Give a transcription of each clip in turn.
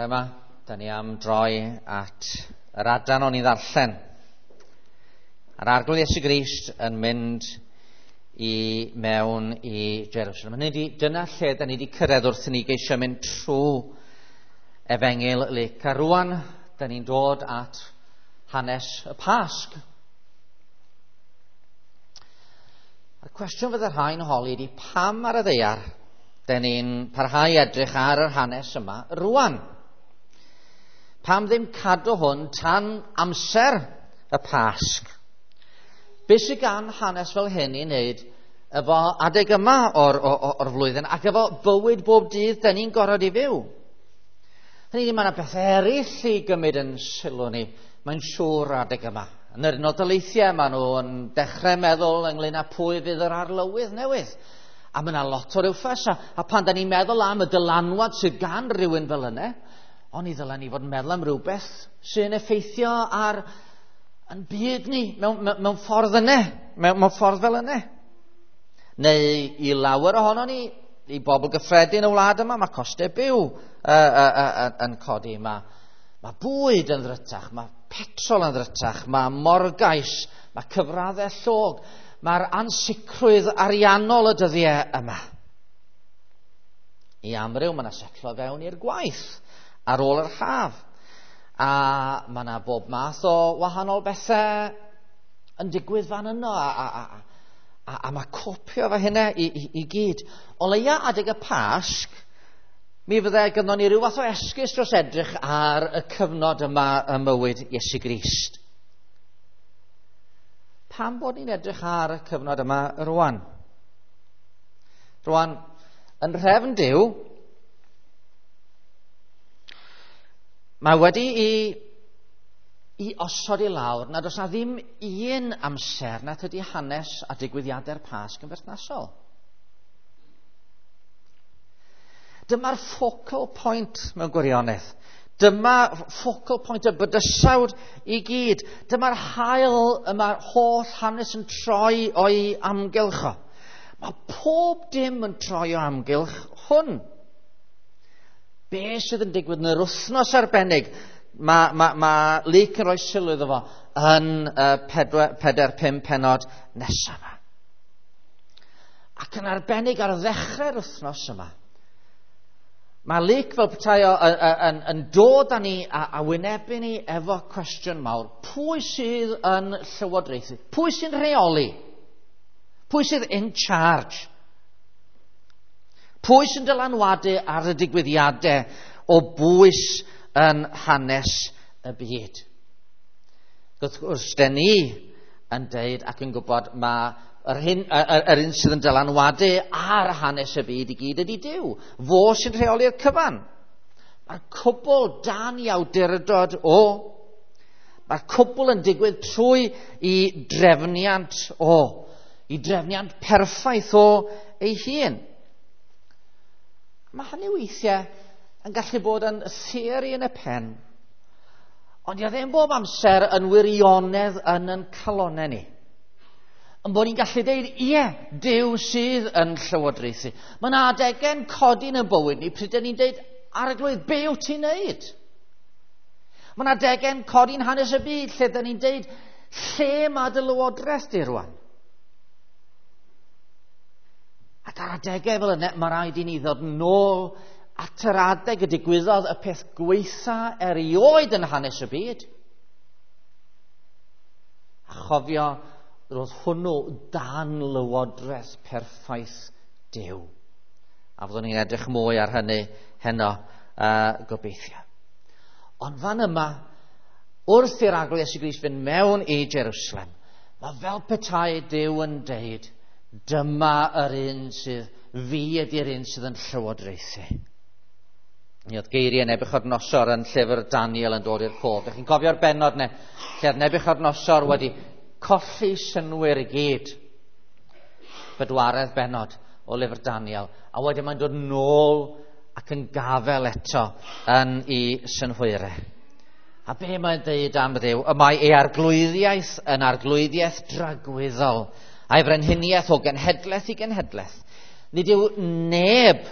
Bore yma, da ni am droi at yr adran o'n i ddarllen. A'r Arglwydd Iesu Grist yn mynd i mewn i Jerusalem. Hynny ydi, dyna lle da ni wedi cyrraedd wrth i ni geisio mynd trwy Efengyl Luc. A rwan, da ni'n dod at hanes y Pasg. A'r cwestiwn fydde rhai'n holi ydi, pam ar y ddaear da ni'n parhau edrych ar yr hanes yma rwan? Pam ddim cadw hwn tan amser y Pasg? Be sydd gan hanes fel hyn i wneud efo adeg yma o'r flwyddyn ac efo bywyd bob dydd da ni'n gorfod i fyw? Hynny yw, mae yna bethau eraill i gymryd yn sylw ni, mae'n siŵr adeg yma. Yn yr Unol Daleithiau, maen nhw'n dechrau meddwl ynglyn â pwy fydd yr arlywydd newydd. A mae yna lot o rywffas, a pan da ni'n meddwl am y dylanwad sydd gan rywun fel yna, ond i ddylen ni fod yn meddwl am rhywbeth sy'n effeithio ar yn byd ni mewn ffordd yna, mewn ffordd fel yna. Neu i lawer ohono ni, i bobl gyffredin y wlad yma, mae costau byw yn codi. Mae bwyd yn ddrytach, mae petrol yn ddrytach, mae morgais, mae cyfraddau llog, mae'r ansicrwydd ariannol y dyddiau yma. I amryw, mae yna setlo fewn i'r gwaith ar ôl yr haf. A mae yna bob math o wahanol bethau yn digwydd fan yno, a mae copio fo hynna i gyd. O leia adeg y Pasg, mi fydde gynnon ni ryw fath o esgus dros edrych ar y cyfnod yma ym mywyd Iesu Grist. Pam bod ni'n edrych ar y cyfnod yma rwan? Rwan, yn nhrefn Duw, mae wedi i osod i lawr nad oes na ddim un amser nad ydy hanes a digwyddiadau'r Pasg yn berthnasol. Dyma'r focal point mewn gwirionedd. Dyma focal point y bydysawd i gyd. Dyma'r haul y mae'r holl hanes yn troi o'i amgylch o. Mae pob dim yn troi o amgylch hwn. Be sydd yn digwydd yn yr wythnos arbennig, mae Luc yn rhoi sylw iddo fo yn 4-5 pennod nesaf yma. Ac yn arbennig ar ddechrau'r wythnos yma, mae Luc fel petai o yn dod â ni a wynebu ni efo cwestiwn mawr. Pwy sydd yn llywodraethu? Pwy sy'n rheoli? Pwy sydd in charge? Pwy sy'n dylanwadu ar y digwyddiadau o bwys yn hanes y byd? Wrth gwrs, den ni yn deud ac yn gwybod mae yr un sydd yn dylanwadu ar hanes y byd i gyd ydy Duw. Fo sy'n rheoli'r cyfan. Mae'r cwbl dan i awdurdod o. Mae'r cwbl yn digwydd trwy i drefniant o. I drefniant perffaith o ei hun. Mae hynny weithiau yn gallu bod yn theori yn y pen, ond dio ddim bob amser yn wirionedd yn ein calonnau ni. Yn bod ni'n gallu deud, ie, Duw sydd yn llywodraethu. Mae yna adegau'n codi yn y bywyd ni pryd ni'n deud, Arglwydd, be wyt ti'n neud? Mae yna adegau'n codi'n hanes y byd lle dyn ni'n deud, lle mae dy lywodraeth di rwan? Ac ar adegau fel yna, mae rhaid i ni ddod nôl at yr adeg y digwyddodd y peth gweitha erioed yn hanes y byd. A chofio, roedd hwnnw dan lywodraeth perffaith Duw. A fyddwn ni'n edrych mwy ar hynny heno, gobeithio. Ond fan yma, wrth i'r Arglwydd Iesu Grist fynd mewn i Jerusalem, mae fel petai Duw yn deud, dyma yr un sydd, fi ydy'r un sydd yn llywodraethu. Mi oedd geiriau Nebuchadnezzar yn llyfr Daniel yn dod i'r cof. Dych chi'n cofio'r bennod ne, lle oedd Nebuchadnezzar wedi colli synnwyr i gyd. Bedwaredd bennod o lyfr Daniel. A wedyn mae'n dod nôl ac yn gafel eto yn ei synhwyrau. A be mae'n deud am Dduw? Y mae ei arglwyddiaeth yn arglwyddiaeth dragwyddol, a'i frenhiniaeth o genhedlaeth i genhedlaeth. Nid yw neb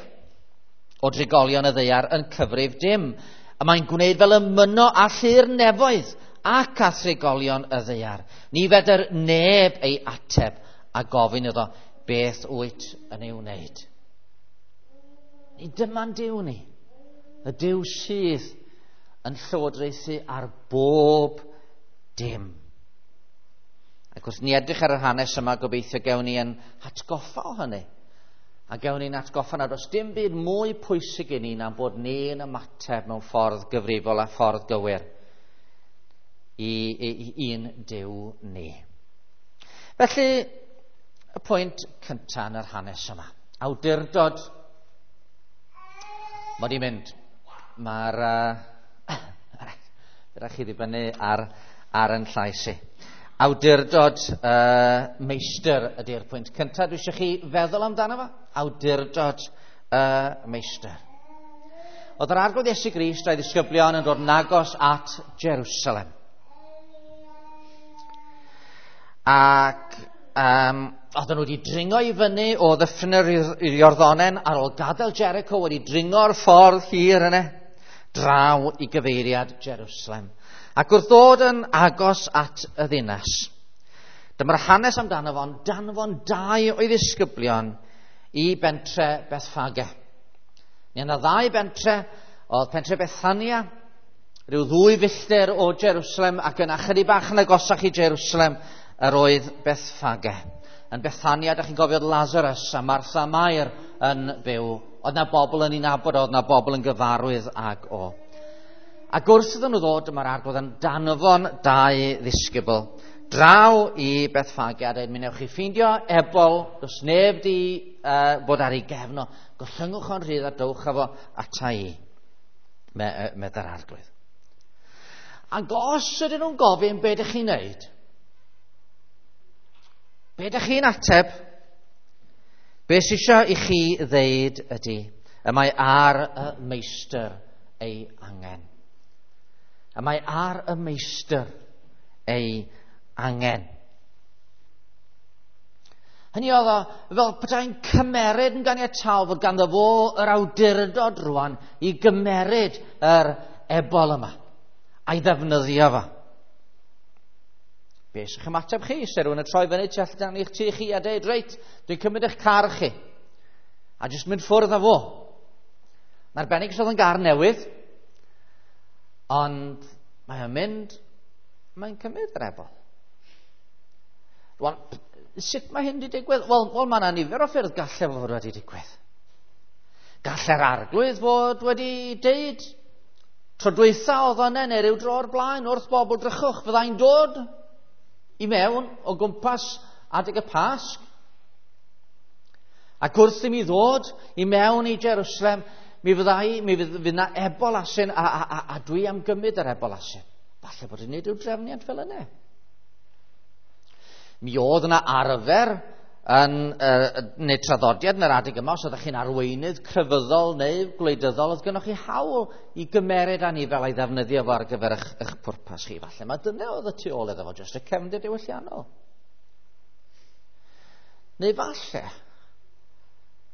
o drigolion y ddaear yn cyfrif dim. A mae'n gwneud fel y myno a llu'r nefoedd ac a thrigolion y ddaear. Ni fedr neb ei ateb a gofyn iddo beth wyt yn ei wneud. Ni dyma'n Duw ni. Y Duw sydd yn llywodraethu ar bob dim. Ac wrth ni edrych ar yr hanes yma, gobeithio gewn ni yn hatgoffa o hynny. A gewn ni'n atgoffa nad oes dim byd mwy pwysig i ni na'n bod ni'n ymateb mewn ffordd gyfrifol a ffordd gywir i un Duw ni. Felly, y pwynt cyntaf yn yr hanes yma. Awdurdod. Mod i'n mynd. Mae'r... Rhaid chi ddibynnu ar yn llais i. Awdurdod meistr ydy'r pwynt cyntaf. Dwi eisiau chi feddwl amdano fo. Awdurdod meistr. Oedd yr Arglwydd Iesu Grist a'i ddisgyblion yn dod yn agos at Jerusalem. Ac oedden nhw wedi dringo i fyny o ddyffryn yr Iorddonen ar ôl gadael Jericho, wedi dringo'r ffordd hir yna, draw i gyfeiriad Jerusalem. Ac wrth ddod yn agos at y ddinas, dyma'r hanes amdano fo'n danfon dau o'i ddisgyblion i bentre Bethfage. Mi yna ddau bentre, oedd pentre Bethania, rhyw 2 filltir o Jerusalem, ac yna chydig bach yn agosach i Jerusalem yr oedd Bethfage. Yn Bethania, da chi'n gofio Lazarus a Martha Mair yn byw. Oedd na bobl yn ei nabod, oedd na bobl yn gyfarwydd ag o. Ac wrth iddyn nhw ddod, dyma'r Arglwydd yn danfon dau ddisgybl draw i Bethfage a dweud, mi newch chi ffeindio ebol, does neb di bod ar ei gefn o, gollyngwch o'n rhydd a dowch â fo ata i, medda'r Arglwydd. Ac os ydyn nhw'n gofyn be ydych chi'n neud, be ydych chi'n ateb, be sy isio i chi ddeud ydy, y mae ar y meistr ei angen. Y mae ar y meistr ei angen. Hynny oedd o fel petai'n cymeryd yn ganiataol fod ganddo fo yr awdurdod rwan i gymeryd yr ebol yma a'i ddefnyddio fo. Be sy'ch ymateb chi? Se rhywun yn troi fyny tu allan i'ch tŷ chi a deud, reit, dwi'n cymryd eich car chi. A jyst mynd ffwrdd â fo. Mae'n arbennig os oedd yn gar newydd, ond mae o'n mynd, mae'n cymryd yr ebol. Rwan, sut mae hyn wedi digwydd? Wel, mae yna nifer o ffyrdd gallai fod wedi digwydd. Gallai'r Arglwydd fod wedi deud, tro dwytha oedd yna neu ryw dro o'r blaen wrth bobl drychwch, fyddai'n dod i mewn o gwmpas adeg y Pasg. Ac wrth i mi ddod i mewn i Jerusalem, mi fydd yna ebol asyn a dwi am gymryd yr ebol asyn. Falle bod yn neud rhyw drefniant fel yna. Mi oedd yna arfer yn, neu traddodiad yn yr adeg yma, os oeddech chi'n arweinydd crefyddol neu gwleidyddol, oedd gennych chi hawl i gymeryd anifel a'i ddefnyddio fo ar gyfer eich pwrpas chi. Falle mae dyna oedd y tu ôl iddo fo, jyst y cefndir diwylliannol. Neu falle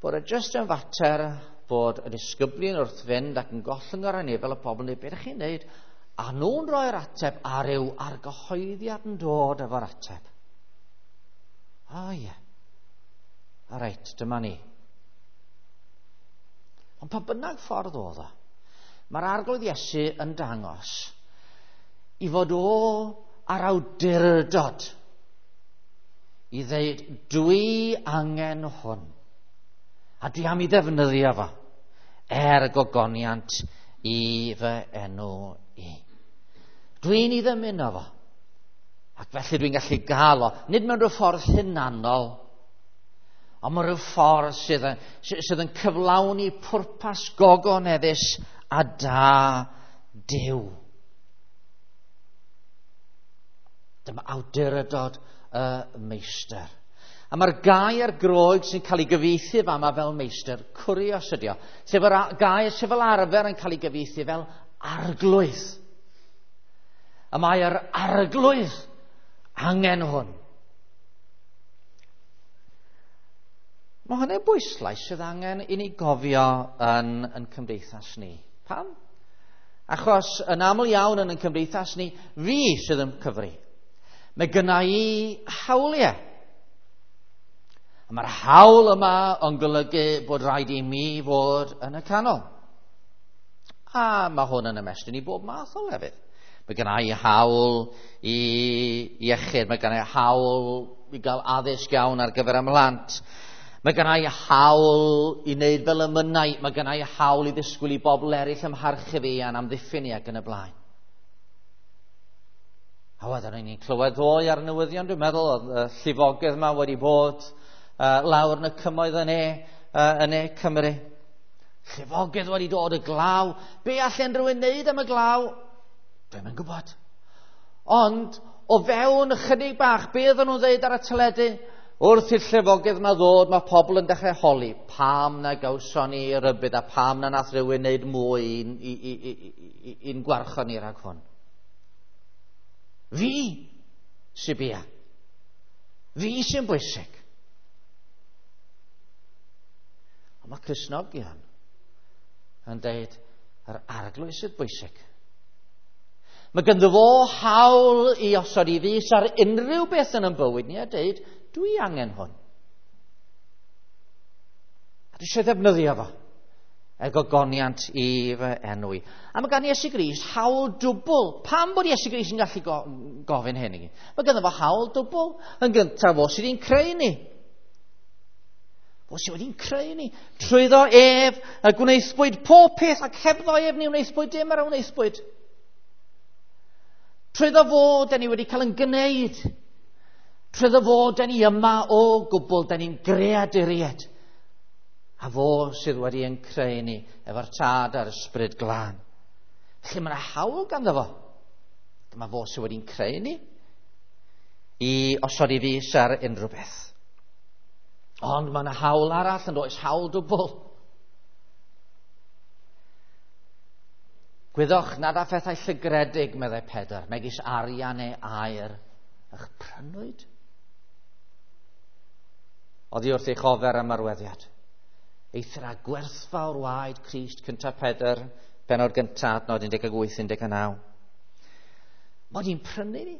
bod e jyst yn fater bod y disgyblion wrth fynd ac yn gollwng yr anifel y pobl neu beth ydych chi'n neud, a nhw'n rhoi'r ateb a ryw argyhoeddiad yn dod efo'r ateb. O ie. O reit, dyma ni. Ond pa bynnag ffordd oedd o, mae'r Arglwydd Iesu yn dangos i fod o ar awdurdod i ddeud, dwi angen hwn, a dwi am i ddefnyddio fo, er gogoniant i fy enw i. Dwi'n ei ddymuno fo, ac felly dwi'n gallu gael o, nid mewn rhyw ffordd hunanol, ond mewn rhyw ffordd sydd yn cyflawni pwrpas gogoneddus a da Duw. Dyma awdurdod y meistr. A mae'r gair Groeg sy'n cael ei gyfieithu fama fel meistr, kurios ydi o, sef yr gair sydd fel arfer yn cael ei gyfieithu fel arglwydd. A mae'r arglwydd angen hwn. Mae hynny'n bwyslais sydd angen i ni gofio yn cymdeithas ni. Pam? Achos yn aml iawn yn ein cymdeithas ni, fi sydd yn cyfri. Mae gynna i hawliau. A mae'r hawl yma yn golygu bod rhaid i mi fod yn y canol. A mae hwn yn ymestyn i bob math o lefydd. Mae gynna i hawl i iechyd, mae gynna i hawl i gael addysg iawn ar gyfer ymhlant. Mae gynna i hawl i wneud fel y mynnau, mae gynna i hawl i ddisgwyl i bobl eraill ymharchu fi a'n amddiffyn i ac yn y blaen. A wedyn ni'n clywed ddoe ar y newyddion, dwi'n meddwl, oedd y llifogydd yma wedi bod lawr yn y cymoedd yn ne Cymru. Llifogydd wedi dod, y glaw. Be allan rhywun wneud am y glaw? Dwi'm yn gwybod. Ond o fewn ychydig bach, be oedden nhw'n dweud ar y teledu? Wrth i'r llifogydd yma ddod, mae pobl yn dechrau holi pam na gawson ni rybudd a pam na nath rhywun wneud mwy i'n gwarchod ni rhag hwn. Fi sy'n bia. Fi sy'n bwysig. Ond mae Cristnogion yn dweud yr Arglwydd sydd bwysig. Mae ganddo fo hawl i osod i fys ar unrhyw beth yn ein bywyd ni a dweud, dwi angen hwn. A dwi eisiau ddefnyddio fo er gogoniant i fy enw i. A mae gan Iesu Grist hawl dwbl. Pam bod Iesu Grist yn gallu gofyn hyn i ni? Mae ganddo fo hawl dwbl. Yn gyntaf, fo sydd wedi'n creu ni. Fo sydd wedi'n creu ni. Trwyddo ef y gwnaethpwyd pob peth, ac hebddo ef ni wnaethpwyd dim ar y wnaethpwyd. Trwyddo fo, da ni wedi cael yn gwneud. Trwyddo fo, da ni yma o gwbl, da ni'n greaduriaid. A fo sydd wedi yn creu ni efo'r Tad a'r Ysbryd Glân. Felly mae yna hawl ganddo fo. Dyma fo sydd wedi'n creu ni i osod i fys ar unrhyw beth. Ond mae yna hawl arall, yn does, hawl dwbl. Gwyddoch nad â phethau llygredig, meddai Pedr, megis arian neu aur, eich prynwyd. Oddi wrth eich ofer am arweddiad. Eithr a gwerthfawr waed Crist, cyntaf Pedr, penod gyntaf, adnod 18-19. Mod i'n prynu ni.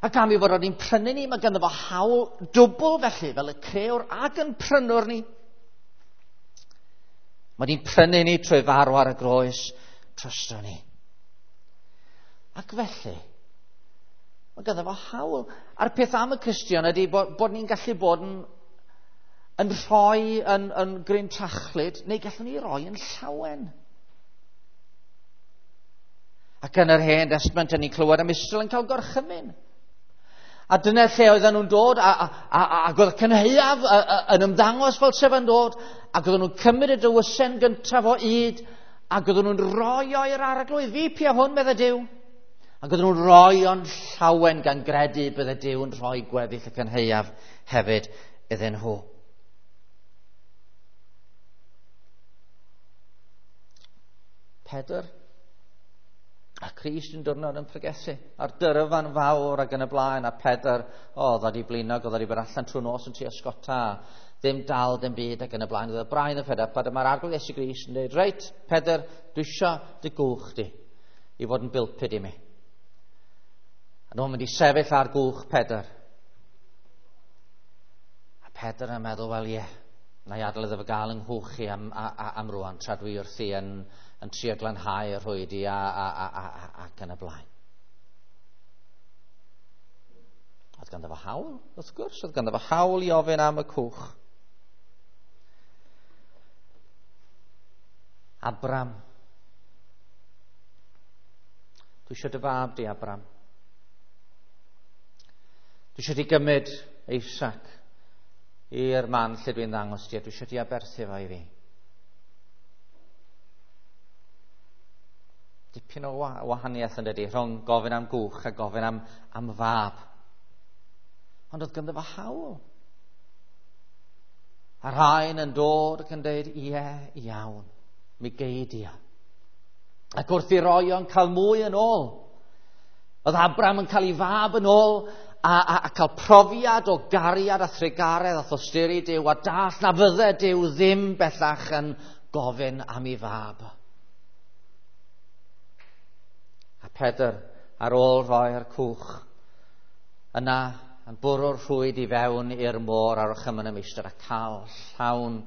Ac am i fod o'n i'n prynu ni, mae ganddo fo hawl dwbl felly, fel y crëwr ac yn prynwr ni. Mae di'n prynu ni trwy farw ar y groes drosto ni. Ac felly, mae ganddo fo hawl. A'r peth am y Cristion ydy bod ni'n gallu bod yn rhoi yn gryntrachlyd, neu gallwn ni roi yn llawen. Ac yn yr Hen Testament, ni'n clywed am Israel yn cael gorchymyn. A dyna lle oedden nhw'n dod, ac oedd y cynhaeaf yn ymddangos fel sef yn dod, ac oedden nhw'n cymryd y dywysen gyntaf o yd, ac oedden nhw'n rhoi o i'r Arglwydd. Fi pia hwn, medde Duw. Ac oedden nhw'n rhoi o'n llawen gan gredu bydde Duw yn rhoi gweddill y cynhaeaf hefyd iddyn nhw. Pedr a Crist yn diwrnod yn pregethu a'r dyrfan fawr ac yn y blaen, a Pedr, oedd wedi blinog, oedd wedi bod allan trwy nos yn trio sgota, ddim dal, dim byd ac yn y blaen. Oedd y brain yn Pedr, a dyma'r Arglwydd Iesu Grist yn dweud, reit, Pedr, dwi isio dy gwch di i fod yn bilpid i mi. A nhw'n mynd i sefyll ar gwch Pedr. A Pedr yn meddwl, wel ie, na i adael iddo fo gael yng nghwch i am rwan, tra dwi wrthi yn trio glanhau y rhwydi ac yn y blaen. Oedd ganddo fo hawl, wrth gwrs, oedd ganddo fo hawl i ofyn am y cwch. Abram. Dwi eisiau dy fab di, Abram. Dwi eisiau di gymryd Isaac i'r man lle dwi'n ddangos ti, a dwi eisiau di aberthu fo i fi. Dipyn o wahaniaeth yn dydi, rhwng gofyn am gwch a gofyn am fab. Ond oedd ganddo fo hawl. A rhain yn dod ac yn dweud, ie, iawn, mi gei di o. Ac wrth i roi o'n cael mwy yn ôl. Oedd Abram yn cael ei fab yn ôl a cael profiad o gariad a thrugaredd a thosturi Duw a dall na fydde Duw ddim bellach yn gofyn am ei fab. Pedr ar ôl rhoi'r cwch yna yn bwrw'r rhwyd i fewn i'r môr ar orchymyn y meistr a cael llawn,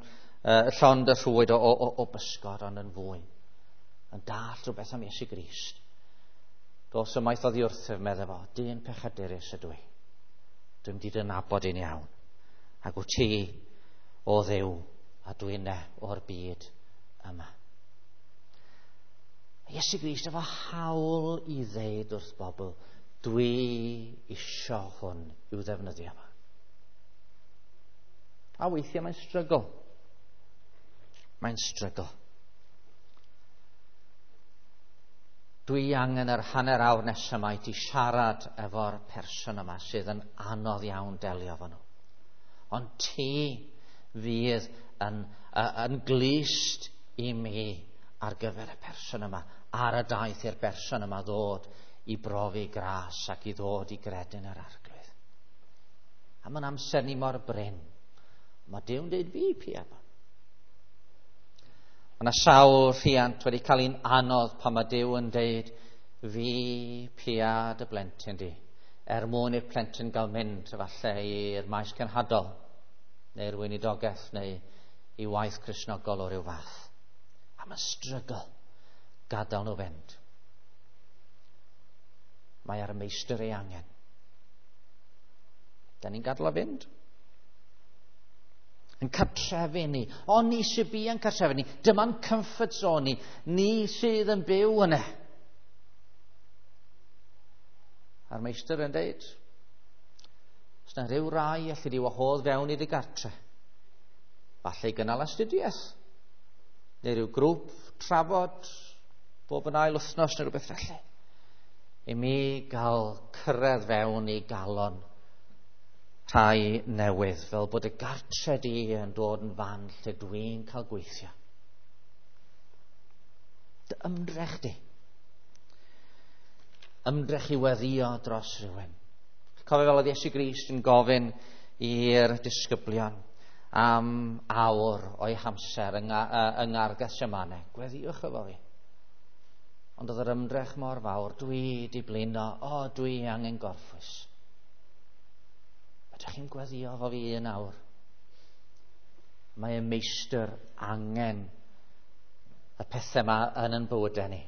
llond y rhwyd o bysgod, ond yn fwy. Yn dallt rhywbeth am Iesu Grist. Dos ymaith oddi wrthyf, meddai fo, dyn pechadurus ydw i. Dwi'n mynd i dy nabod i'n iawn. Ac wyt ti o Dduw a dwi'n o'r byd yma. Iesu Grist efo hawl i ddeud wrth bobl, dwi isio hwn i'w ddefnyddio yma. A weithiau mae'n strygl. Mae'n strygl. Dwi angen yr hanner awr nesaf yma i ti siarad efo'r person yma sydd yn anodd iawn delio efo nhw. Ond ti fydd yn glust i mi ar gyfer y person yma, ar y daith i'r person yma ddod i brofi gras ac i ddod i gredu'n yr Arglwydd. A mae'n amser ni mor brin. Mae Duw'n dweud fi pia fo. Mae yna sawl rhiant wedi cael un anodd pan mae Duw yn dweud fi pia dy blentyn di, er mwyn i'r plentyn gael mynd efallai i'r maes cenhadol neu'r weinidogaeth neu i waith Cristnogol o ryw fath. A mae'n strygl gadael nhw fynd. Mae ar y meistr ei angen. Da ni'n gadael o fynd. Yn cartrefu ni. O, ni sydd bu yn cartrefu ni. Dyma'n comfort zone ni. Ni sydd yn byw yna. A'r meistr yn deud, os na rhyw rai allu di wahodd fewn i dy gartre, falle i gynnal astudiaeth, neu rhyw grŵp trafod bob yn ail wythnos neu rhywbeth felly, i mi gael cyrraedd fewn i galon rhai newydd, fel bod y gartre di yn dod yn fan lle dwi'n cael gweithio. Dy ymdrech di. Ymdrech i weddio dros rhywun. Cofio fel oedd Iesu Grist yn gofyn i'r disgyblion am awr o'i hamser yng Ngardd Gethsemane. Gweddiwch efo fi. Ond oedd yr ymdrech mor fawr, dwi di blino, o, dwi angen gorffwys. Ydych chi'n gweddio efo fi un awr? Mae y meistr angen y pethau yma yn ein bywydau ni,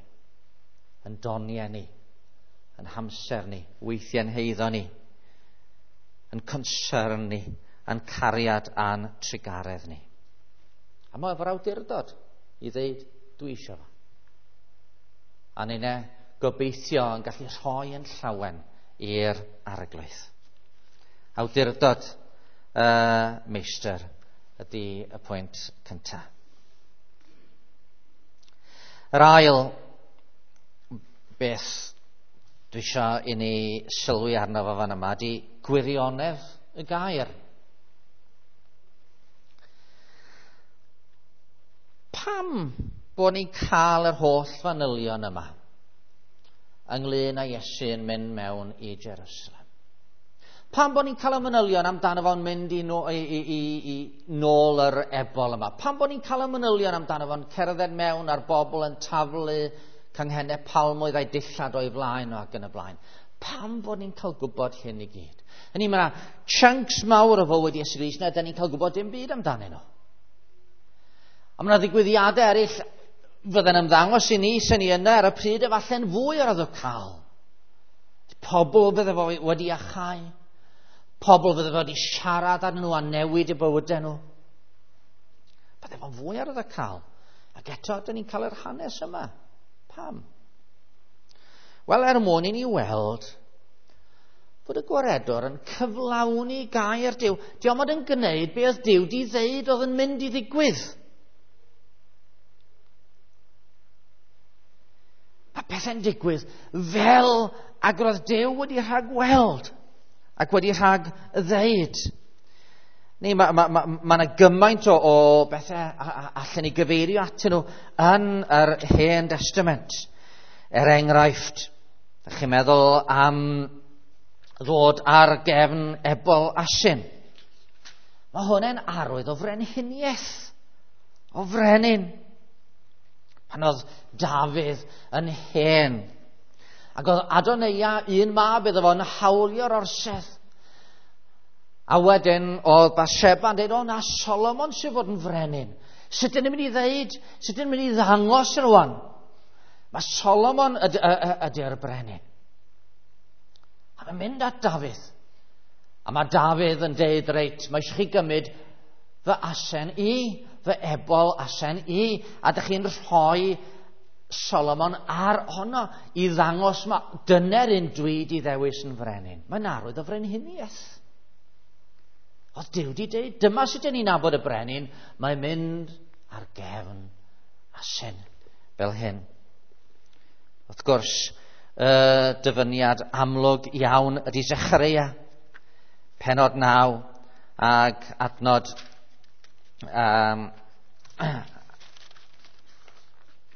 yn doniau ni, yn hamser ni, weithiau'n heiddo ni, yn concern ni, yn cariad a'n trugaredd ni. A mae efo'r awdurdod i ddeud, dwi eisiau fo. A ninne gobeithio yn gallu rhoi yn llawen i'r Arglwydd. Awdurdod y meistr ydy y pwynt cyntaf. Yr ail beth dwi eisiau i ni sylwi arno fo fan yma ydy gwirionedd y gair. Pam bod ni'n cael yr holl fanylion yma ynglyn â Iesu yn mynd mewn i Jerusalem? Pam bod ni'n cael y manylion amdano fo'n mynd i nôl yr ebol yma? Pam bod ni'n cael y manylion amdano fo'n cerdded mewn a'r bobl yn taflu canghennau palmwydd a'i dillad o'i flaen o ac yn y blaen? Pam bod ni'n cael gwybod hyn i gyd? Hynny, mae yna chunks mawr o fywyd Iesu Grist na da ni'n cael gwybod dim byd amdanyn nhw. A mae yna ddigwyddiadau eraill fydda'n ymddangos i ni sy'n ni yna ar y pryd efallai'n fwy o'r arwyddocaol. Pobl fydde fo wedi achau. Pobl fydde fo wedi siarad arnyn nhw a newid eu bywydau nhw. Bydde fo'n fwy arwyddocaol. Ac eto, dyn ni'n cael yr hanes yma. Pam? Wel, er mwyn i ni weld bod y gwaredwr yn cyflawni gair Duw. Dio'm ond yn gwneud be oedd Duw di ddeud oedd yn mynd i ddigwydd. Mae pethau'n digwydd fel ag roedd Duw wedi rhagweld ac wedi rhag ddeud. Neu mae yna gymaint o bethau allan ni gyfeirio atyn nhw yn yr Hen Testament. Er enghraifft, ydych chi'n meddwl am ddod ar gefn ebol asyn. Mae hwn yn arwydd o frenhiniaeth, o frenin. Pan oedd Dafydd yn hen Ac oedd Adoneia, un mab iddo fo, yn hawlio'r orsedd. A wedyn oedd Bathsheba yn dweud, o na, Solomon sydd fod yn frenin. Sut dyn ni'n mynd i ddeud? Sut dyn ni'n mynd i ddangos rwan? Mae Solomon ydy'r brenin. A mae'n mynd at Dafydd. A mae Dafydd yn deud, reit, mae eisiau chi gymryd fy asen i, fy ebol asen i, a dych chi'n rhoi Solomon ar honno i ddangos ma dyna'r un dwi di ddewis yn frenin. Mae'n arwydd o frenhiniaeth. Oedd Duw di deud, dyma sut dyn ni'n nabod y brenin, mae'n mynd ar gefn asen fel hyn. Wrth gwrs, y dyfyniad amlwg iawn ydy Zechareia, penod 9 ag adnod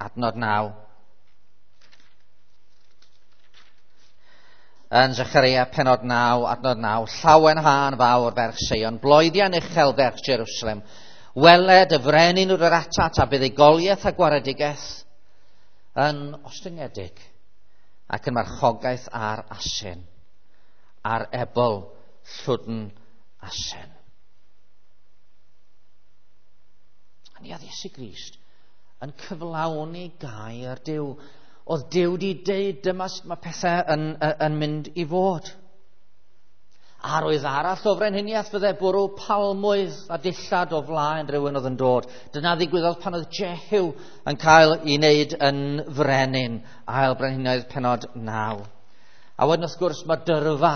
adnod 9. Yn Zechareia penod 9, adnod 9, llawenhân fawr ferch Seion, bloeddian uchel ferch Jerusalem, weled y frenin wrth yr atat a buddugoliaeth a gwaredigaeth yn ostyngedig ac yn marchogaeth ar asen, ar ebol llwdn asen. A ni oedd Iesu Grist yn cyflawni gair Duw. Oedd Duw di deud dyma sut mae pethau yn mynd i fod. Arwydd arall o frenhiniaeth fydde bwrw palmwydd a dillad o flaen rhywun oedd yn dod. Dyna ddigwyddodd pan oedd Jehu yn cael ei wneud yn frenin, ail brenhinoedd penod 9. A wedyn wrth gwrs mae dyrfa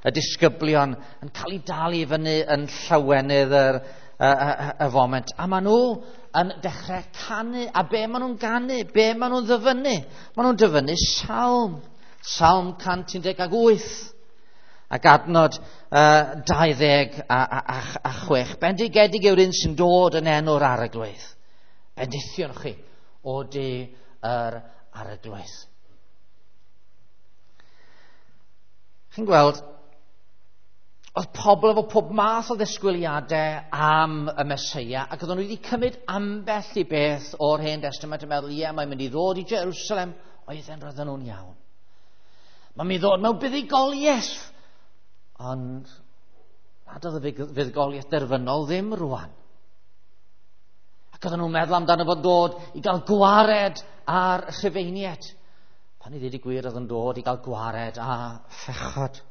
y disgyblion yn cael ei dal i fyny yn llawenydd y foment. A maen nhw yn dechrau canu. A be maen nhw'n ganu? Be maen nhw'n ddyfynnu? Maen nhw'n dyfynnu salm. Salm 118. Ac adnod 26. Bendigedig yw'r un sy'n dod yn enw'r Arglwydd. Bendithion chi o du yr Arglwydd. Chi'n gweld, oedd pobl efo pob math o ddisgwyliadau am y Meseia, ac oedden nhw wedi cymryd ambell i beth o'r Hen Testament yn meddwl, ie, mae'n mynd i ddod i Jerusalem, oedden roedden nhw'n iawn. Mae'n mynd i ddod mewn buddugoliaeth. Ond nad oedd y fuddugoliaeth derfynol ddim rwan. Ac oedden nhw'n meddwl amdano fod dod i gael gwared ar Rhufeiniaid. Pan i ddweud y gwir, oedd yn dod i gael gwared a phechod.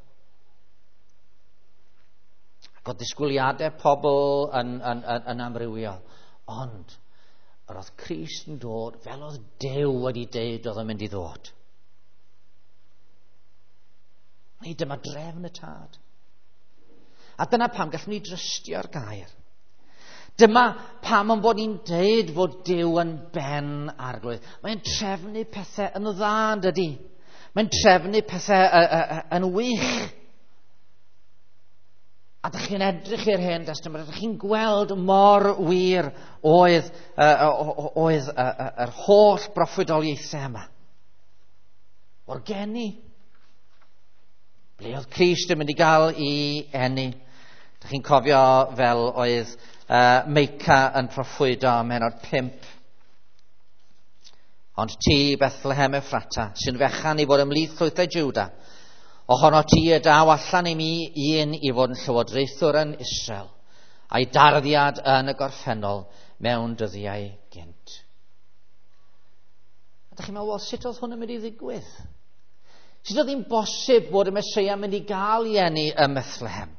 Ac oedd disgwyliadau pobl yn amrywio. Ond yr oedd Crist yn dod fel oedd Duw wedi deud oedd yn mynd i ddod. Neu dyma drefn y tad. A dyna pam gallwn ni drystio'r gair. Dyma pam yn bod ni'n deud fod Duw yn ben arglwydd. Mae'n trefnu pethau yn dda, yn dydi? Mae'n trefnu pethau yn wych. A dych chi'n edrych i'r Hen Testament, ydych chi'n gweld mor wir oedd yr holl broffwydoliaethau yma. O'r geni. Ble oedd Crist yn mynd i gael ei eni? Dych chi'n cofio fel oedd Meica yn proffwydo ym mhennod 5. Ond ti, Bethlehem Ephrata, sy'n fechan i fod ymhlith llwythau Jwda, ohono ti y daw allan i mi un i fod yn llywodraethwr yn Israel, a'i darddiad yn y gorffennol mewn dyddiau gynt. A dych chi'n meddwl, wel, sut oedd hwn yn mynd i ddigwydd? Sut oedd hi'n bosib bod y Meseia mynd i gael ei eni ym Methlehem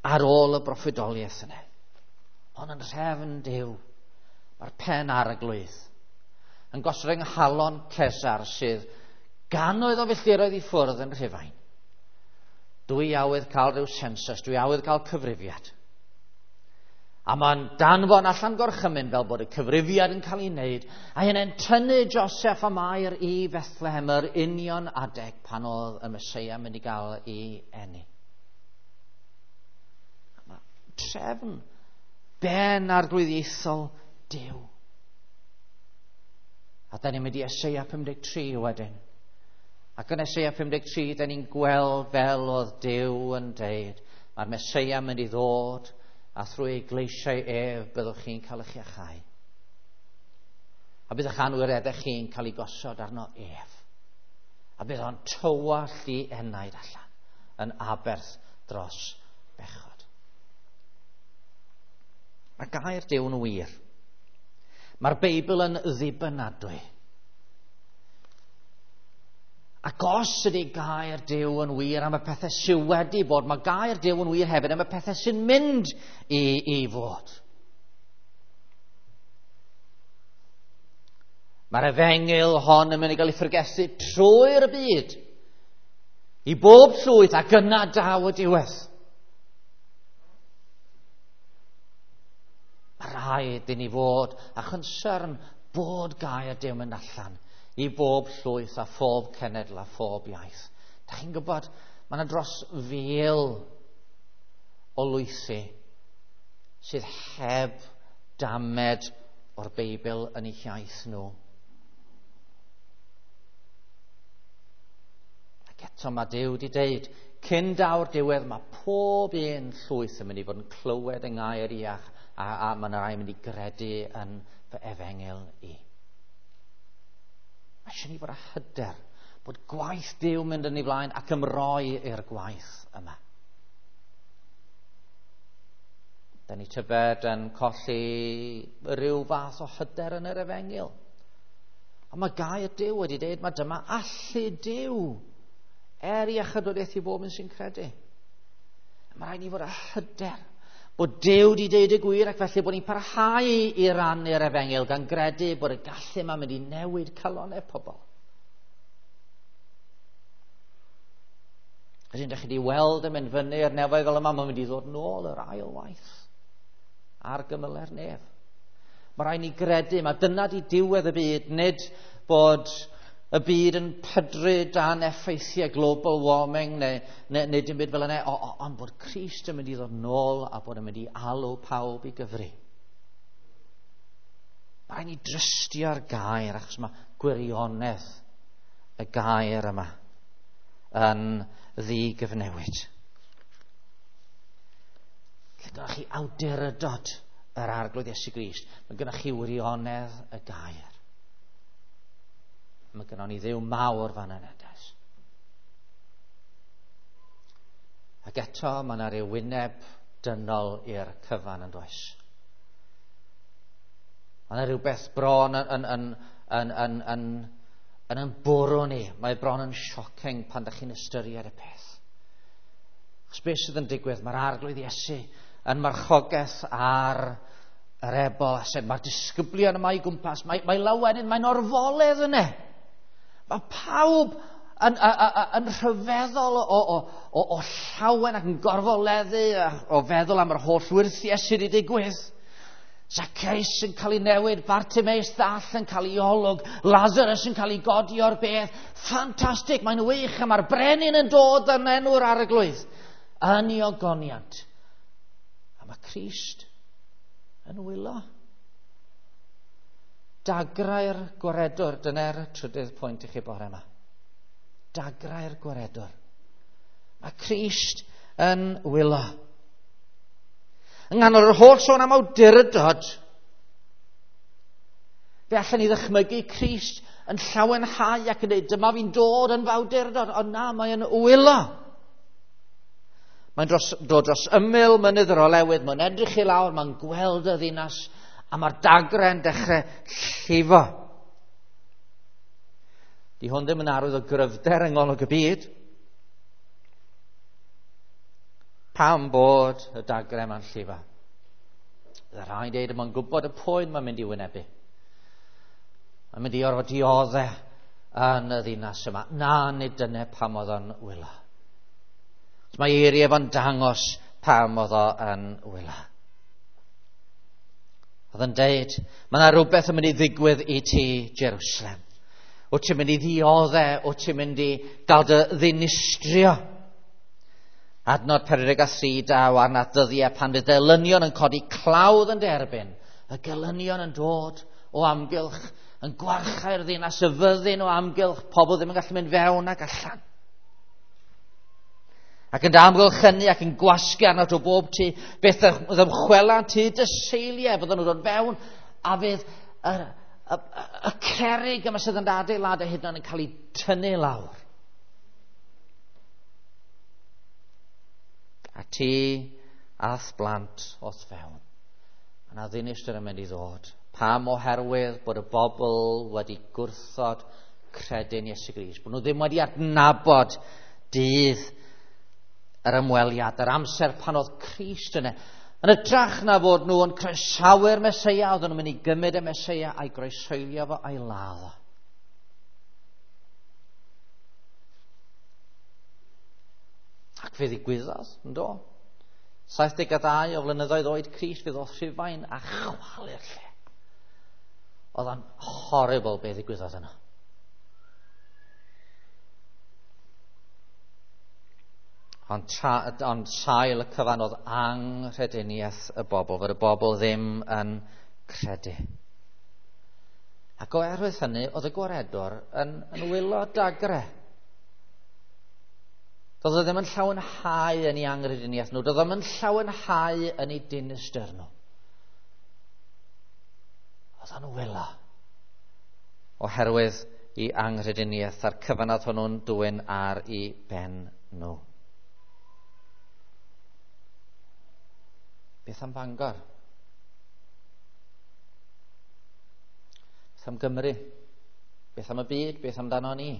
ar ôl y broffwydoliaeth yna? Ond yn rhefn Duw, mae'r pen arglwydd yn gosod yng nghalon Cesar sydd gannoedd o filltiroedd i ffwrdd yn Rhufain. Dwi awydd cael rhyw census, dwi awydd cael cyfrifiad. A mae'n danfon allan gorchymyn fel bod y cyfrifiad yn cael ei wneud, a hynny'n tynnu Joseph a Mair i Bethlehem yr union adeg pan oedd y Meseia mynd i gael ei eni. Mae trefn ben arglwyddiaethol Duw. A da ni'n mynd i Eseia 53 wedyn. Ac yn Eseia 53, da ni'n gweld fel oedd Duw yn deud, mae'r Meseia mynd i ddod, a thrwy ei gleisiau ef byddwch chi'n cael eich iachau. A bydd eich anwireddau chi'n cael ei gosod arno ef. A bydd o'n tywallt i enaid allan yn aberth dros bechod. Mae gair Duw'n wir. Mae'r Beibl yn ddibynadwy. Ac os ydy gair Duw yn wir am y pethau sydd wedi bod, mae gair Duw yn wir hefyd am y pethau sy'n mynd i fod. Mae'r efengyl hon yn mynd i gael ei phregethu trwy'r byd i bob llwyth, ac yna daw y diwedd. Mae rhaid i ni fod â chonsern bod gair Duw yn mynd allan i bob llwyth a phob cenedl a phob iaith. Da chi'n gwybod, mae yna dros 1,000 o lwythi sydd heb damed o'r Beibl yn eu hiaith nhw. Ac eto mae Duw wedi deud, cyn daw'r diwedd mae pob un llwyth yn mynd i fod yn clywed yng ngair iach, a mae yna rai yn mynd i gredu yn fy efengyl i. Mae eisiau ni fod â hyder bod gwaith Duw mynd yn ei flaen ac ymroi i'r gwaith yma. Da ni tybed yn colli rhyw fath o hyder yn yr efengyl. Ond mae gair Duw wedi dweud, mae dyma allu Duw er iechydwriaeth i bob un sy'n credu. Mae rhaid ni fod â hyder bod Duw wedi deud y gwir, ac felly bod ni'n parhau i rannu'r efengyl gan gredu bod y gallu yma'n mynd i newid calonnau pobl. Ydyn, ydych chi wedi weld yn mynd fyny i'r nefoedd fel yma, mae'n mynd i ddod nôl yr ail waith ar gymylau'r nef. Mae rhaid ni gredu, mae dyna di diwedd y byd, nid bod y byd yn pydru dan effeithiau global warming neu dim byd fel yna, ond bod Crist yn mynd i ddod nôl a bod yn mynd i alw pawb i gyfri. Mae rhaid ni drystio'r gair, achos mae gwirionedd y gair yma yn ddigyfnewid. Lle gynnwch chi awdurdod yr Arglwydd Iesu Grist, mae gynnwch chi wirionedd y gair. Mae gynnon ni Dduw mawr fan yna, does? Ac eto, mae yna ryw wyneb dynol i'r cyfan yn does? Mae yna rhywbeth bron yn bwrw ni. Mae bron yn shocking pan ydych chi'n ystyried y peth. Achos beth sydd yn digwydd? Mae'r Arglwydd Iesu yn marchogaeth ar yr ebol, a sef mae'r disgyblion yma i gwmpas. Mae lawenydd, mae'n orfoledd yna. Mae pawb yn rhyfeddol o llawen ac yn gorfoleddu o feddwl am yr holl wyrthiau sydd wedi digwydd. Zacchaeus yn cael ei newid, Bartimaeus ddall yn cael ei olwg, Lazarus yn cael ei godi o'r bedd. Ffantastig, mae'n wych, a mae'r brenin yn dod yn enw'r Arglwydd yn ei ogoniant. A mae Crist yn wylo. Dagrau'r gwaredwr, dyna'r trydydd pwynt i chi bore yma. Dagrau'r gwaredwr. Mae Crist yn wylo. Yng nghanol yr holl sôn am awdurdod, fe allan ni ddychmygu Crist yn llawenhau ac yn dweud, dyma fi'n dod yn fawdurdod, ond na, mae'n wylo. Mae'n dod dros ymyl mynydd yr Olewydd, mae'n edrych i lawr, mae'n gweld y ddinas, a mae'r dagrau'n dechrau llifo. Di hwn ddim yn arwydd o gryfder yng ngolwg y byd. Pam bod y dagrau yma'n llifo? Bydd rhai'n dweud, mae'n gwybod y poen mae'n mynd i wynebu. Mae'n mynd i orfod dioddef yn y ddinas yma. Na, nid dyna pam oedd o'n wylo. Mae eiriau fo'n dangos pam oedd o yn wylo. Oedd yn deud, mae yna rhywbeth yn mynd i ddigwydd i ti, Jerusalem. Wyt ti'n mynd i ddioddef, wyt ti'n mynd i gael dy ddinistrio. Adnod 43 daw arna ddyddiau pan fydd gelynion yn codi clawdd yn derbyn. Y gelynion yn dod o amgylch, yn gwarchau'r ddinas, y fyddin o amgylch, pobl ddim yn gallu mynd fewn ac allan. Ac yn amgylchynu ac yn gwasgu arno o bob tu, beth ddymchwelant hyd y seiliau, fydden nhw'n dod fewn, a fydd y cerrig yma sydd yn adeiladau hyd yn oed yn cael ei tynnu lawr. A ti a'th blant o'th fewn. Mae yna ddinistr yn mynd i ddod. Pam? Oherwydd bod y bobl wedi gwrthod credu'n Iesu Grist. Bod nhw ddim wedi adnabod dydd yr ymweliad, yr amser pan oedd Crist yna. Yn hytrach na fod nhw yn croesawu'r Meseia, oedden nhw'n mynd i gymryd y Meseia a'i groeshoelio fo a'i ladd o. Ac fe ddigwyddodd, yn do? 72 o flynyddoedd oed Crist, fe ddoth Rhufain a chwalu'r lle. Oedd o'n horrible be ddigwyddodd yno. Ond, ond sail y cyfan oedd anghrediniaeth y bobl, fod y bobl ddim yn credu. Ac oherwydd hynny, oedd y gwaredwr yn wylo dagre. Doedd o ddim yn llawenhau yn ei anghrediniaeth nhw, doedd o ddim yn llawenhau yn ei dinistr nhw. Oedd o'n wylo oherwydd i anghrediniaeth a'r cyfan oedd hwnnw'n dwyn ar ei ben nhw. Beth am Bangor? Beth am Gymru? Beth am y byd? Beth amdano ni?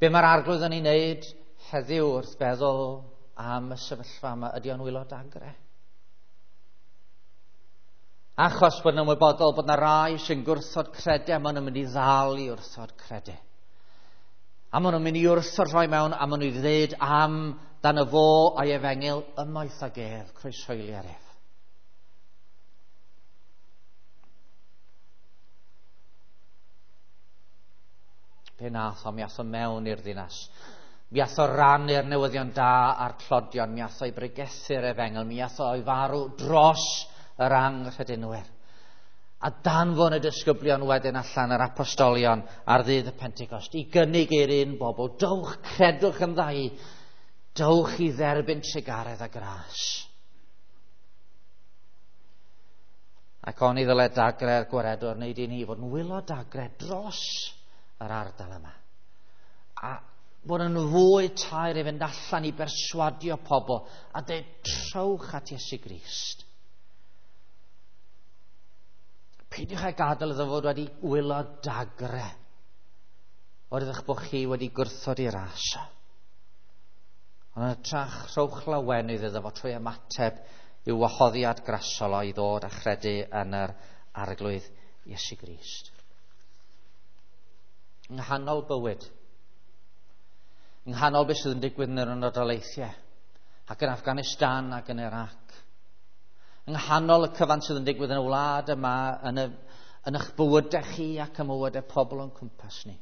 Be mae'r Arglwydd yn ei wneud heddiw wrth feddwl am y sefyllfa yma? Ydy o'n wylo dagre? Achos bod yn ymwybodol bod yna rai sy'n gwrthod credu, a maen nhw'n mynd i ddal i wrthod credu. A maen nhw'n mynd i wrthod rhoi mewn, a maen nhw'n i ddweud am dan y fo a'i efengyl ymaith ag ef, croeshoeli ar ef. Be nath o? Mi ath o mewn i'r ddinas. Mi ath o rannu'r newyddion da a'r tlodion. Mi ath o i bregethu'r efengyl. Mi ath o i farw dros yr anghredinwyr. A danfon y disgyblion wedyn allan yr apostolion ar ddydd y Pentecost i gynnig i'r un bobl, dowch, credwch yn ddau, dowch i dderbyn trugaredd a gras. Ac oni ddyle dagre'r gwaredwr wneud i ni fod yn wylo dagre dros yr ardal yma. A bod yn fwy taer i fynd allan i berswadio pobl a dweud trowch at Iesu Grist. Peidiwch â gadael iddo fod wedi wylo dagre oherwydd eich bod chi wedi gwrthod i ras. Ond yn hytrach, rhowch lawenydd iddo fo trwy ymateb i'w wahoddiad grasol o i ddod a chredu yn yr Arglwydd Iesu Grist. Yng nghanol bywyd, yng nghanol beth sydd yn digwydd yn yr Unol Daleithiau, ac yn Afghanistan ac yn Iraq, yng nghanol y cyfan sydd yn digwydd yn y wlad yma, yn eich bywydau chi ac ym mywydau pobl o'n cwmpas ni.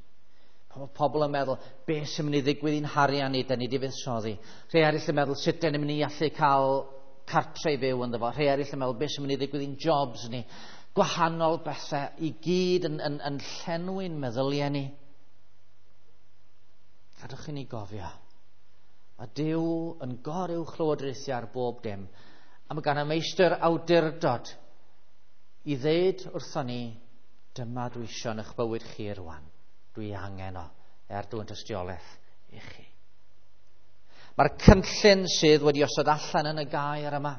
Mae pobl yn meddwl, beth sy'n mynd i ddigwydd i'n harian ni, da ni wedi fuddsoddi. Rhai eraill yn meddwl, sut da ni'n mynd i allu cael cartre i fyw ynddo fo. Rhai eraill yn meddwl, beth sy'n mynd i ddigwydd i'n jobs ni. Gwahanol bethau i gyd yn llenwi'n meddyliau ni. Gadwch i ni gofio. Mae Duw yn goruwch lywodraethu ar bob dim. A mae gan y meistr awdurdod i ddeud wrthon ni, dyma dwi isio yn eich bywyd chi rwan. Dwi angen o, er dwi'n tystiolaeth i chi. Mae'r cynllun sydd wedi osod allan yn y gair yma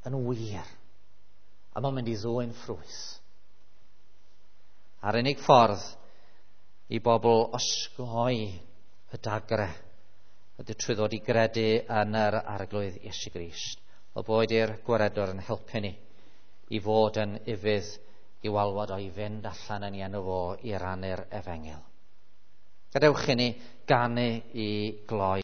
yn wir, a mae'n mynd i ddwyn ffrwyth. A'r unig ffordd i bobl osgoi y dagre ydy trwy ddod i gredu yn yr Arglwydd Iesu Grist. O boed i'r gwaredwr yn helpu ni i fod yn ufudd i'w alwad o i fynd allan yn ei enw fo i rannu'r efengyl. Gadewch i ni ganu i gloi.